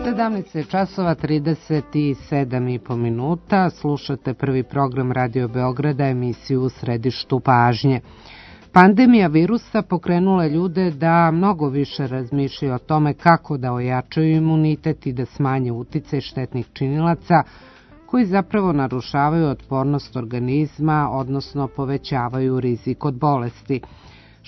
17 časova 37,5 minuta. Slušate prvi program Radio Beograda, emisiju U središtu pažnje. Pandemija virusa pokrenula ljude da mnogo više razmišljaju o tome kako da ojačaju imunitet i da smanje uticaj štetnih činilaca koji zapravo narušavaju otpornost organizma, odnosno povećavaju rizik od bolesti.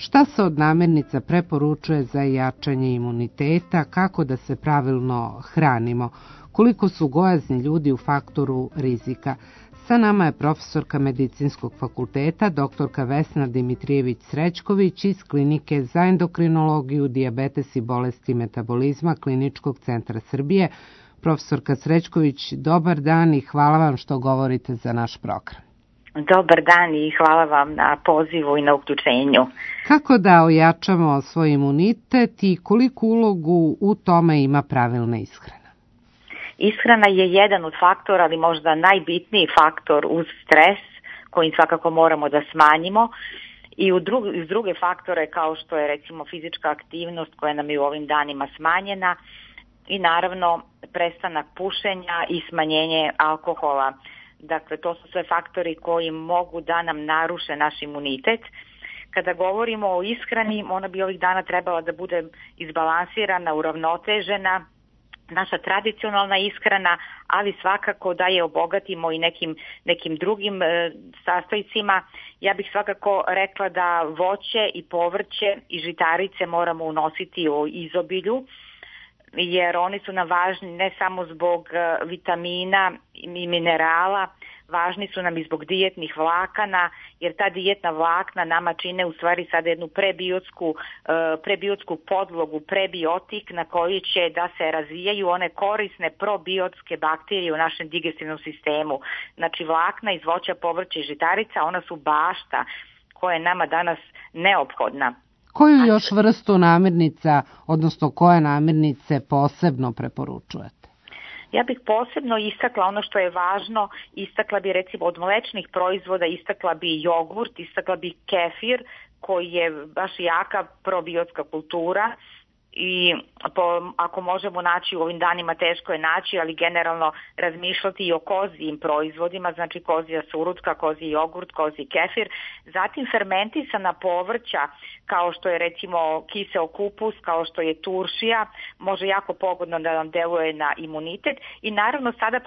Šta se od namirnica preporučuje za jačanje imuniteta, kako da se pravilno hranimo, koliko su gojazni ljudi u faktoru rizika. Sa nama je profesorka Medicinskog fakulteta, doktorka Vesna Dimitrijević-Srećković iz Klinike za endokrinologiju, dijabetes i bolesti metabolizma Kliničkog centra Srbije. Profesorka Srećković, dobar dan i hvala vam što govorite za naš program. Dobar dan i hvala vam na pozivu i na uključenju. Kako da ojačamo svoj imunitet i koliku ulogu u tome ima pravilna ishrana? Ishrana je jedan od faktora, ali možda najbitniji faktor uz stres, koji svakako moramo da smanjimo, i uz druge faktore kao što je recimo fizička aktivnost koja nam je u ovim danima smanjena i naravno prestanak pušenja i smanjenje alkohola. Dakle, to su sve faktori koji mogu da nam naruše naš imunitet. Kada govorimo o ishrani, ona bi ovih dana trebala da bude izbalansirana, uravnotežena, naša tradicionalna ishrana, ali svakako da je obogatimo i nekim drugim sastojcima. Ja bih svakako rekla da voće i povrće i žitarice moramo unositi u izobilju, jer oni su nam važni ne samo zbog vitamina i minerala, važni su nam i zbog dijetnih vlakana, jer ta dijetna vlakna nama čine u stvari sada jednu prebiotsku podlogu, prebiotik na koji će da se razvijaju one korisne probiotske bakterije u našem digestivnom sistemu. Znači vlakna iz voća, povrća i žitarica, ona su bašta koja je nama danas neophodna. Koju još vrstu namirnica, odnosno koje namirnice posebno preporučujete? Ja bih posebno istakla ono što je važno, istakla bi recimo od mlečnih proizvoda, istakla bi jogurt, istakla bi kefir koji je baš jaka probiotska kultura. I ako možemo naći u ovim danima, teško je naći, ali generalno razmišljati i o kozijim proizvodima, znači kozija surutka, koziji jogurt, koziji kefir, zatim fermentisana povrća kao što je recimo kiseo kupus, kao što je turšija, može jako pogodno da nam deluje na imunitet i naravno sada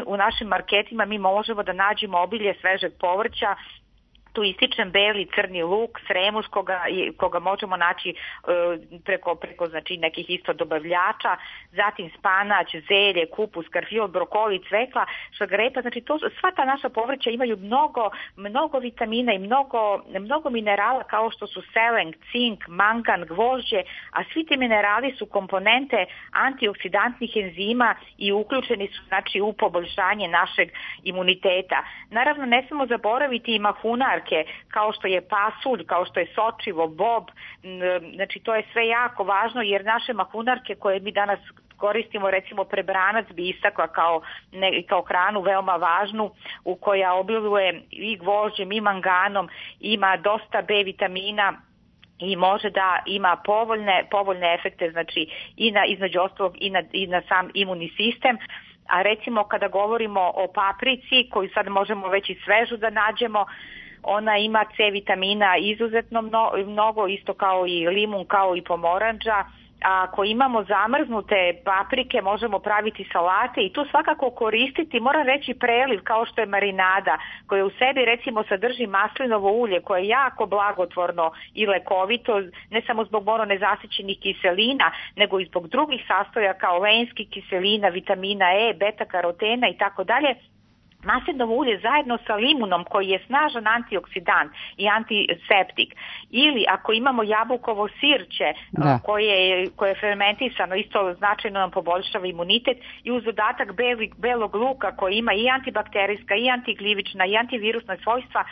u našim marketima mi možemo da nađemo obilje svežeg povrća. Tu ističem beli crni luk, sremuš koga možemo naći preko znači nekih isto dobavljača, zatim spanać, zelje, kupus, karfiol, brokoli, cvekla, šargarepa, znači sva ta naša povrća imaju mnogo vitamina i mnogo minerala kao što su selen, cink, mangan, gvožđe, a svi ti minerali su komponente antioksidantnih enzima i uključeni su znači u poboljšanje našeg imuniteta. Naravno ne smemo zaboraviti i mahunarke kao što je pasulj, kao što je sočivo, bob, znači to je sve jako važno jer naše mahunarke koje mi danas koristimo, recimo prebranac bi istakla kao hranu veoma važnu u koja obiluje i gvožđem i manganom, ima dosta B vitamina i može da ima povoljne efekte, znači između ostalog i na sam imunni sistem. A recimo kada govorimo o paprici koju sad možemo već i svežu da nađemo, ona ima C vitamina izuzetno mnogo, isto kao i limun, kao i pomorandža. A ako imamo zamrznute paprike, možemo praviti salate i tu svakako koristiti, moram reći preliv kao što je marinada, koja u sebi recimo sadrži maslinovo ulje koje je jako blagotvorno i lekovito, ne samo zbog mononezasićenih kiselina, nego i zbog drugih sastojaka kao lenskih kiselina, vitamina E, beta karotena i tako dalje. Maslinovo ulje zajedno sa limunom koji je snažan antioksidant i antiseptik. Ili ako imamo jabukovo sirće koje je fermentisano, isto značajno nam poboljšava imunitet i uz dodatak belog luka koji ima i antibakterijska i antiglivična i antivirusna svojstva,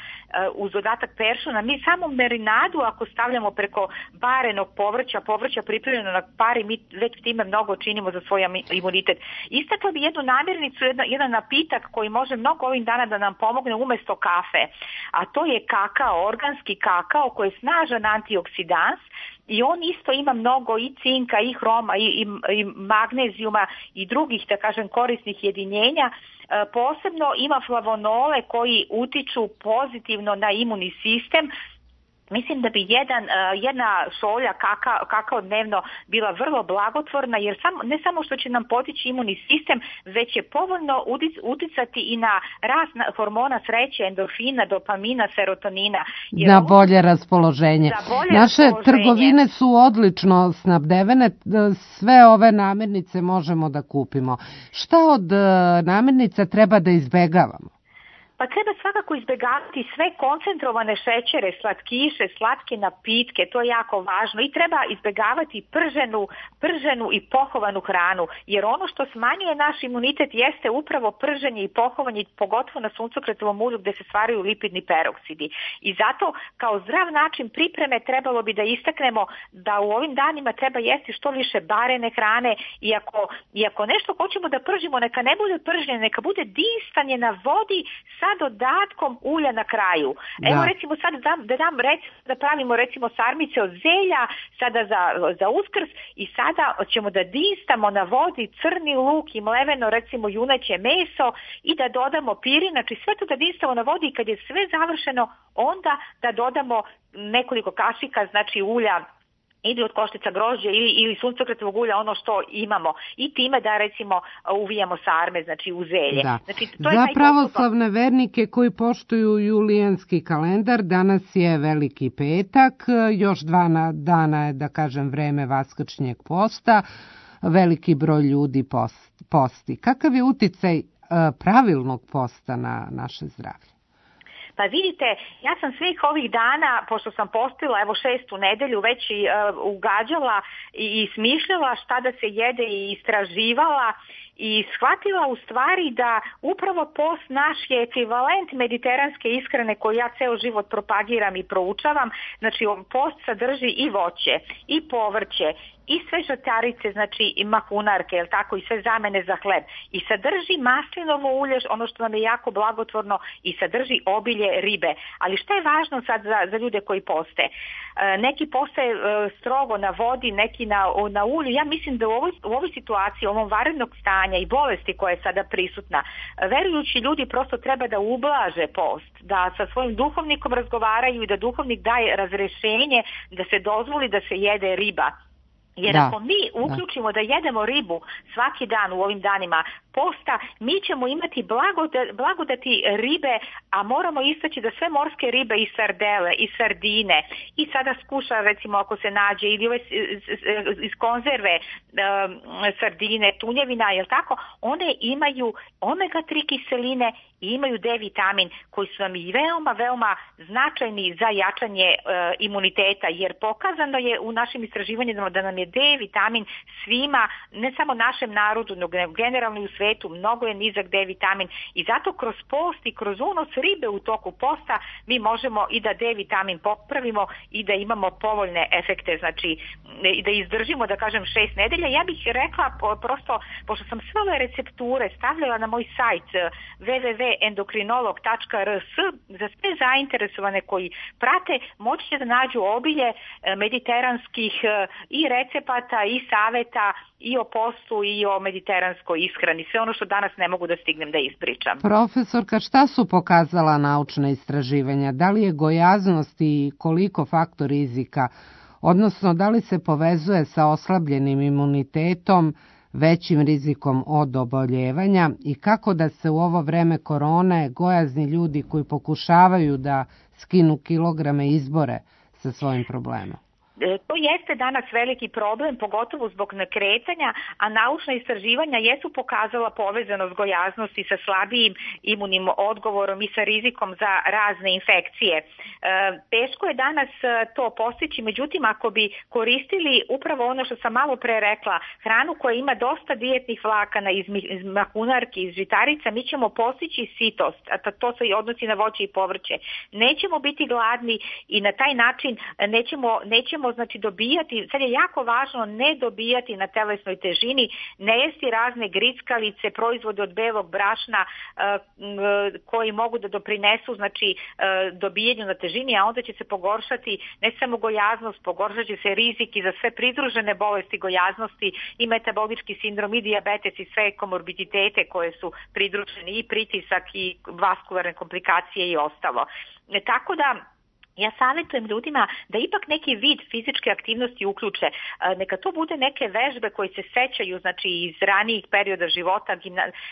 uz dodatak peršuna, mi samo marinadu ako stavljamo preko barenog povrća pripremljeno na pari, mi već time mnogo činimo za svoj imunitet. Istakla bi jednu namirnicu, jedan napitak koji može mnogo ovih dana da nam pomogne umjesto kafe, a to je kakao, organski kakao koji je snažan antioksidans i on isto ima mnogo i cinka i hroma i magnezijuma i drugih, da kažem, korisnih jedinjenja. Posebno ima flavonole koji utiču pozitivno na imunni sistem. Mislim da bi jedna šolja kakao dnevno bila vrlo blagotvorna, jer ne samo što će nam potići imunni sistem, već će povoljno uticati i na rast hormona sreće, endorfina, dopamina, serotonina. Na bolje raspoloženje. Naše trgovine su odlično snabdevene, sve ove namirnice možemo da kupimo. Šta od namirnica treba da izbegavamo? Pa treba svakako izbjegavati sve koncentrovane šećere, slatkiše, slatke napitke, to je jako važno i treba izbjegavati prženu i pohovanu hranu, jer ono što smanjuje naš imunitet jeste upravo prženje i pohovanje, pogotovo na suncokretovom ulju gdje se stvaraju lipidni peroksidi. I zato kao zdrav način pripreme trebalo bi da istaknemo da u ovim danima treba jesti što više barene hrane i ako nešto hoćemo da pržimo, neka ne bude prženje, neka bude dinstanje na vodi sa dodatkom ulja na kraju. Evo recimo sad da pravimo recimo sarmice od zelja sada za Uskrs i sada ćemo da dinstamo na vodi crni luk i mleveno recimo juneće meso i da dodamo pirin, znači sve to da dinstamo na vodi i kad je sve završeno onda da dodamo nekoliko kašika znači ulja ili od koštica grožđa ili suncokretovog ulja, ono što imamo. I time da recimo uvijamo sarme, znači u zelje. Da. Znači, to za pravoslavne vernike koji poštuju julijanski kalendar, danas je Veliki petak, još 2 dana je, da kažem, vreme Vaskršnjeg posta, veliki broj ljudi posti. Kakav je uticaj pravilnog posta na naše zdravlje? Pa vidite, ja sam svih ovih dana, pošto sam postila evo 6. nedelju, već ugađala i smišljala šta da se jede i istraživala i shvatila u stvari da upravo post naš je ekvivalent mediteranske ishrane koju ja ceo život propagiram i proučavam. Znači post sadrži i voće i povrće i sve žitarice, znači i mahunarke, jel tako, i sve zamene za hleb. I sadrži maslinovo ulje, ono što nam je jako blagotvorno, i sadrži obilje ribe. Ali šta je važno sad za ljude koji poste? Neki poste strogo na vodi, neki na ulju. Ja mislim da u ovoj situaciji, ovom vanrednog stanja i bolesti koja je sada prisutna, verujući ljudi prosto treba da ublaže post, da sa svojim duhovnikom razgovaraju i da duhovnik daje razrešenje da se dozvoli da se jede riba. Jer ako mi uključimo da jedemo ribu svaki dan u ovim danima posta, mi ćemo imati blagodati ribe, a moramo istaći da sve morske ribe i sardele i sardine i sada skuša recimo ako se nađe ili ove iz konzerve sardine, tunjevina, jel tako, one imaju omega-3 kiseline i imaju D vitamin koji su nam i veoma značajni za jačanje imuniteta, jer pokazano je u našim istraživanjima da nam je D vitamin svima, ne samo našem narodu, nego generalno i u svetu, mnogo je nizak D vitamin i zato kroz post i kroz unos ribe u toku posta mi možemo i da D vitamin popravimo i da imamo povoljne efekte, znači i da izdržimo, da kažem, 6 nedelja. Ja bih rekla prosto, pošto sam sve ove recepture stavljala na moj sajt www.endokrinolog.rs, za sve zainteresovane koji prate moći će da nađu obilje mediteranskih i recepata i saveta i o postu i o mediteranskoj ishrani. Sve ono što danas ne mogu da stignem da ispričam. Profesorka, šta su pokazala naučna istraživanja? Da li je gojaznost i koliko faktor rizika, odnosno da li se povezuje sa oslabljenim imunitetom, većim rizikom od oboljevanja i kako da se u ovo vreme korone gojazni ljudi koji pokušavaju da skinu kilograme izbore sa svojim problemom? To jeste danas veliki problem, pogotovo zbog nekretanja, a naučna istraživanja jesu pokazala povezanost gojaznosti sa slabijim imunim odgovorom i sa rizikom za razne infekcije. Teško je danas to postići, međutim ako bi koristili upravo ono što sam malo pre rekla, hranu koja ima dosta dijetnih vlakana iz mahunarki, iz žitarica, mi ćemo postići sitost, a to se odnosi na voće i povrće. Nećemo biti gladni i na taj način nećemo moramo znači dobijati, sad je jako važno ne dobijati na telesnoj težini, ne jesti razne grickalice, proizvode od belog brašna koji mogu da doprinesu znači dobijanju na težini, a onda će se pogoršati ne samo gojaznost, pogoršat će se rizik i za sve pridružene bolesti gojaznosti i metabolički sindrom i dijabetes i sve komorbiditete koje su pridruženi i pritisak i vaskularne komplikacije i ostalo. Tako da ja savjetujem ljudima da ipak neki vid fizičke aktivnosti uključe. Neka to bude neke vežbe koje se sećaju znači iz ranijih perioda života,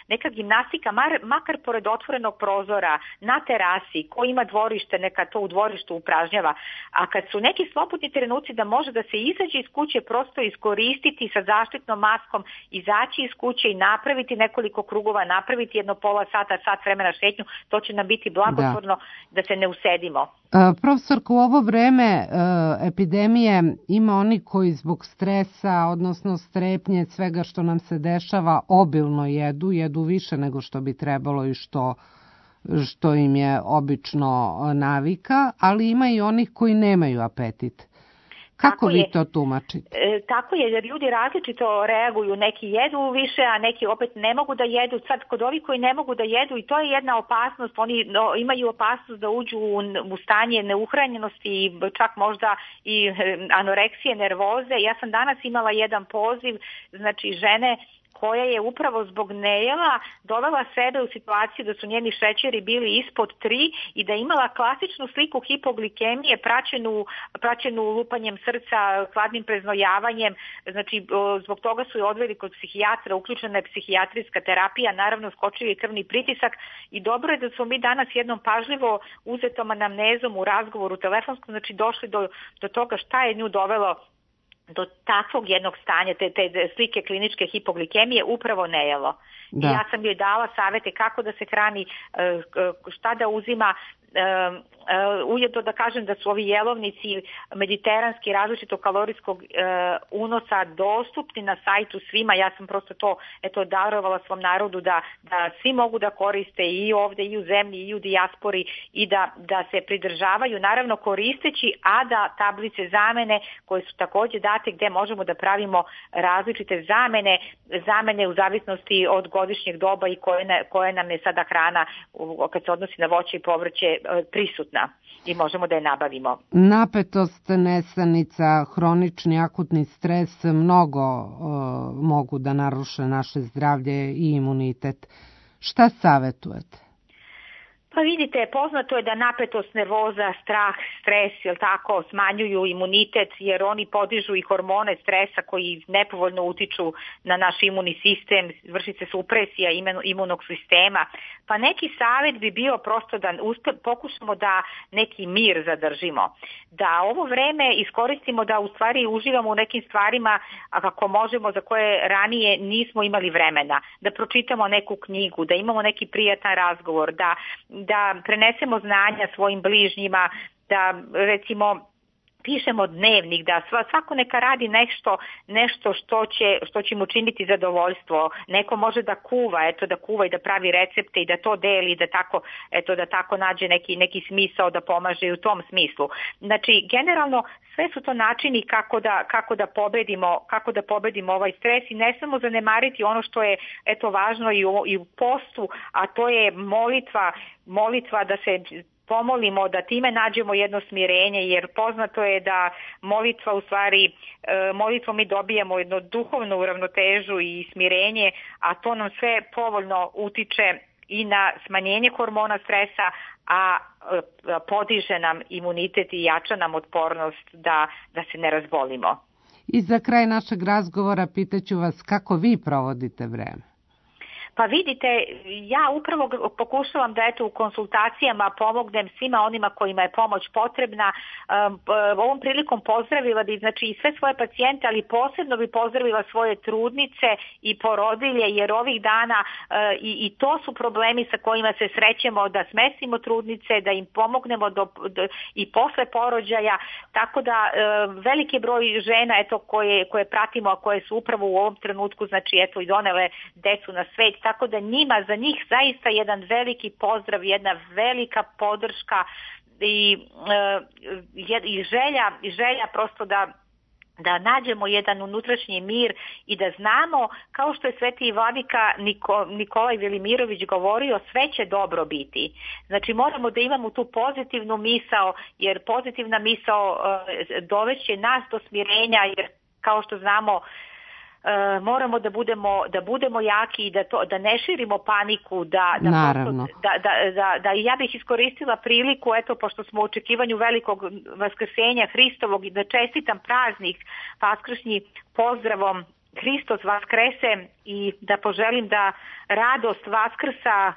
neka gimnastika, makar pored otvorenog prozora, na terasi, ko ima dvorište, neka to u dvorištu upražnjava. A kad su neki slobodni trenuci da može da se izađe iz kuće, prosto iskoristiti sa zaštitnom maskom, izaći iz kuće i napraviti nekoliko krugova, napraviti jedno pola sata, sat vremena šetnju, to će nam biti blagotvorno da se ne usedimo. Profesorko, u ovo vreme epidemije ima oni koji zbog stresa, odnosno strepnje, svega što nam se dešava, obilno jedu više nego što bi trebalo i što im je obično navika, ali ima i onih koji nemaju apetit. Kako vi to tumačite? Tako je, jer ljudi različito reaguju, neki jedu više, a neki opet ne mogu da jedu. Sad kod ovih koji ne mogu da jedu i to je jedna opasnost, oni imaju opasnost da uđu u stanje neuhranjenosti i čak možda i anoreksije, nervoze. Ja sam danas imala jedan poziv, znači žene koja je upravo zbog nejela dovela sebe u situaciju da su njeni šećeri bili ispod 3 i da je imala klasičnu sliku hipoglikemije praćenu lupanjem srca, hladnim preznojavanjem. Znači, zbog toga su je odveli kod psihijatra, uključena je psihijatrijska terapija, naravno skočio je krvni pritisak i dobro je da smo mi danas jednom pažljivo uzetom anamnezom u razgovoru telefonskom, znači došli do toga šta je nju dovelo do takvog jednog stanja, te slike kliničke hipoglikemije, upravo nejelo. Da. I ja sam joj dala savete kako da se hrani, šta da uzima, ujedno da kažem da su ovi jelovnici mediteranski različitog kalorijskog unosa dostupni na sajtu svima. Ja sam prosto to darovala svom narodu da svi mogu da koriste i ovde i u zemlji i u dijaspori i da se pridržavaju, naravno koristeći ADA tablice zamene koje su takođe date gde možemo da pravimo različite zamene u zavisnosti od godišnjeg doba i koje nam je sada hrana kad se odnosi na voće i povrće prisutna i možemo da je nabavimo. Napetost, nesanica, hronični akutni stres mnogo mogu da naruše naše zdravlje i imunitet. Šta savjetujete? Pa vidite, poznato je da napetost, nervoza, strah, stres, jel tako, smanjuju imunitet jer oni podižu i hormone stresa koji nepovoljno utiču na naš imunni sistem, vrši se supresija imunog sistema. Pa neki savjet bi bio prosto da pokušamo da neki mir zadržimo. Da ovo vreme iskoristimo da u stvari uživamo u nekim stvarima ako možemo za koje ranije nismo imali vremena. Da pročitamo neku knjigu, da imamo neki prijatan razgovor, da prenesemo znanja svojim bližnjima, da recimo pišemo dnevnik, da svako neka radi nešto što će mu činiti zadovoljstvo. Neko može da kuva, da kuva i da pravi recepte i da to deli, da tako nađe neki smisao da pomaže u tom smislu. Znači, generalno sve su to načini kako da pobedimo ovaj stres i ne samo zanemariti ono što je važno i u postu, a to je molitva da se pomolimo, da time nađemo jedno smirenje, jer poznato je da molitva u stvari, molitvom mi dobijemo jednu duhovnu uravnotežu i smirenje, a to nam sve povoljno utiče i na smanjenje hormona stresa, a podiže nam imunitet i jača nam otpornost da se ne razbolimo. I za kraj našeg razgovora pitaću vas kako vi provodite vreme. Pa vidite, ja upravo pokušavam da u konsultacijama pomognem svima onima kojima je pomoć potrebna. Ovom prilikom pozdravila bi i sve svoje pacijente, ali posebno bi pozdravila svoje trudnice i porodilje, jer ovih dana i to su problemi sa kojima se srećemo, da smestimo trudnice, da im pomognemo i posle porođaja, tako da veliki broj žena koje pratimo, a koje su upravo u ovom trenutku i donele decu na svet, tako da za njih zaista jedan veliki pozdrav, jedna velika podrška želja prosto da nađemo jedan unutrašnji mir i da znamo, kao što je sveti vladika Nikolaj Velimirović govorio, sve će dobro biti. Znači moramo da imamo tu pozitivnu misao, jer pozitivna misao doveće nas do smirenja, jer kao što znamo moramo da budemo jaki i da ne širimo paniku, da ja bih iskoristila priliku, eto, pošto smo u očekivanju velikog vaskrsenja Hristovog, i da čestitam praznik vaskršnji pozdravom Hristos Vaskrese i da poželim da radost Vaskrsa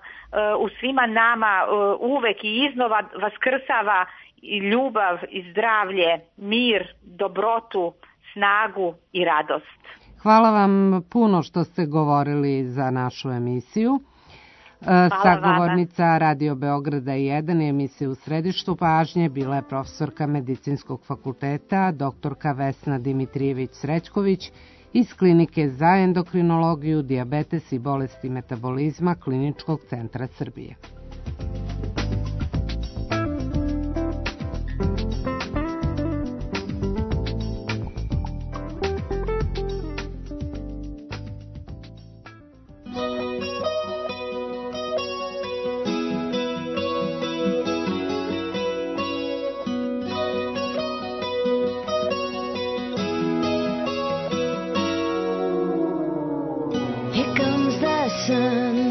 u svima nama uvek i iznova vaskrsava i ljubav i zdravlje, mir, dobrotu, snagu i radost. Hvala vam puno što ste govorili za našu emisiju. Sagovornica Radio Beograda 1 i emisije U središtu pažnje bila je profesorka Medicinskog fakulteta, doktorka Vesna Dimitrijević-Srećković iz Klinike za endokrinologiju, dijabetes i bolesti metabolizma Kliničkog centra Srbije. Sun